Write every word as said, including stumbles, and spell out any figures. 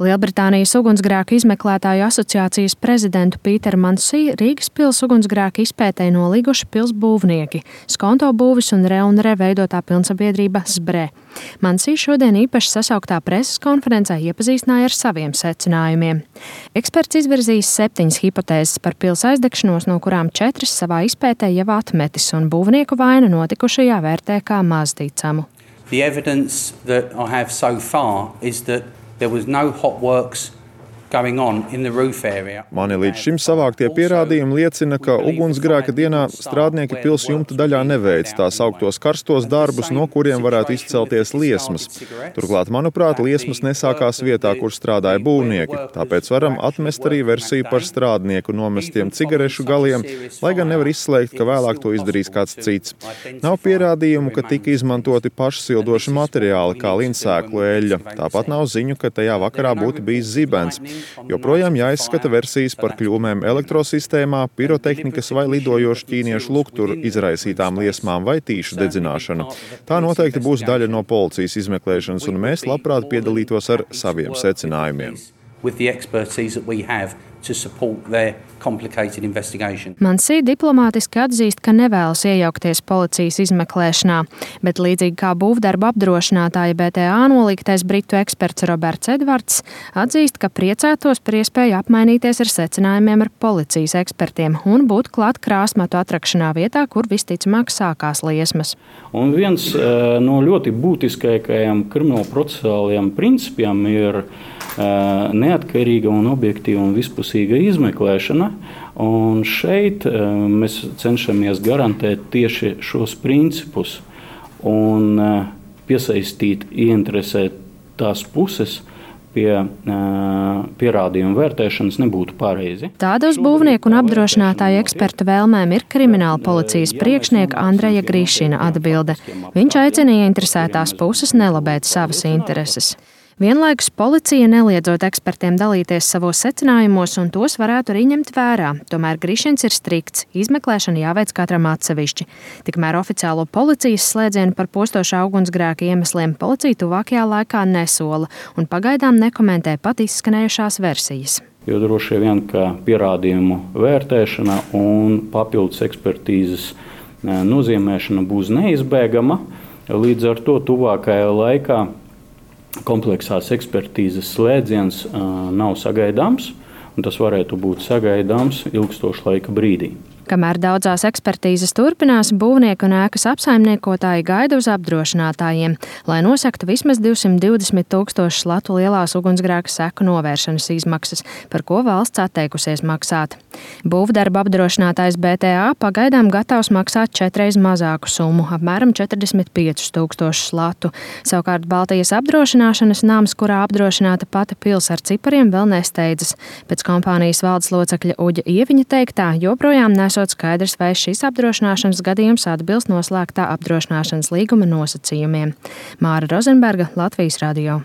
Lielbritānijas ugunsgrēku izmeklētāju asociācijas prezidentu Pīteru Mansī Rīgas pils ugunsgrēku izpētē nolīguši pils būvnieki, Skonto būvis un Re un Re veidotā pilnsabiedrība Sbre. Mansī šodien īpaši sasauktā preses konferencē iepazīstināja ar saviem secinājumiem. Eksperts izvirzījis septiņas hipotēzes par pils aizdegšanos, no kurām četras savā izpētē jau atmetis, un būvnieku vainu notikušajā vērtē kā mazticamu. The evidence that I have so far is that there was no hot works going on in the roof area. Mani līdz šim savāktie pierādījumi liecina, ka ugunsgrēka dienā strādnieki pils jumta daļā neveic tā sauktos karstos darbus, no kuriem varētu izcelties liesmas. Turklāt, manuprāt, liesmas nesākās vietā, kur strādāja būvnieki. Tāpēc varam atmest arī versiju par strādnieku nomestiem cigarešu galiem, lai gan nevar izslēgt, ka vēlāk to izdarīs kāds cits. Nav pierādījumu, ka tika izmantoti pašsildoši materiāli, kā linsēklu eļļa. Tāpat nav ziņu, ka tajā vakarā būtu bijis zibens. Joprojām jāizskata versijas par kļūmēm elektrosistēmā, pirotehnikas vai lidojošu ķīniešu lukturu izraisītām liesmām vai tīšu dedzināšanu. Tā noteikti būs daļa no policijas izmeklēšanas, un mēs labprāt piedalītos ar saviem secinājumiem. Mansī diplomātiski atzīst, ka nevēlas iejaukties policijas izmeklēšanā, bet līdzīgi kā būvdarbu apdrošinātāja B T A nolīgtais britu eksperts Roberts Edvards atzīst, ka priecātos par iespēju apmainīties ar secinājumiem ar policijas ekspertiem un būt klāt krāsmatu atrakšanā vietā, kur visticamāk sākās liesmas. Un viens no ļoti būtiskākajiem kriminālprocesuālajiem principiem ir neatkarīga un objektīva un vispusīga izmeklēšana. Un šeit mēs cenšamies garantēt tieši šos principus un piesaistīt, ieinteresēt tās puses pie pierādījumu vērtēšanas nebūtu pareizi. Tāda uz būvnieku un apdrošinātāju ekspertu vēlmēm ir krimināla policijas priekšnieka Andreja Grišina atbilde. Viņš aicina ieinteresētās puses nelabēt savas intereses. Vienlaikus policija neliedzot ekspertiem dalīties savos secinājumos, un tos varētu arī ņemt vērā. Tomēr Grišins ir strikts, izmeklēšana jāveic katram atsevišķi. Tikmēr oficiālo policijas slēdzienu par postošā ugunsgrēka iemesliem policija tuvākajā laikā nesola un pagaidām nekomentē pat izskanējušās versijas. Jo droši vien, ka pierādījumu vērtēšana un papildus ekspertīzes nozīmēšana būs neizbēgama, līdz ar to tuvākajā laikā kompleksās ekspertīzes slēdziens uh, nav sagaidāms, un tas varētu būt sagaidāms ilgstošu laika brīdī. Kamēr daudzās ekspertīzes turpinās, būvnieki un ēkas apsaimniekotāji gaida uz apdrošinātājiem, lai nosaktu vismaz divsimt divdesmit tūkstošus latu lielās ugunsgrēka seku novēršanas izmaksas, par ko valsts atteikusies maksāt. Būvdarba apdrošinātājs B T A pagaidām gatavs maksāt četreiz mazāku summu, apmēram četrdesmit piecus tūkstošus latu. Savukārt Baltijas apdrošināšanas nams, kurā apdrošināta pati pils ar cipariem, vēl nesteidzas. Pēc kompānijas valdes locekļa Uģa Ieviņa teiktā, joprojām nesot skaidrs, vai šis apdrošināšanas gadījums atbilst noslēgtā apdrošināšanas līguma nosacījumiem. Māra Rozenberga, Latvijas radio.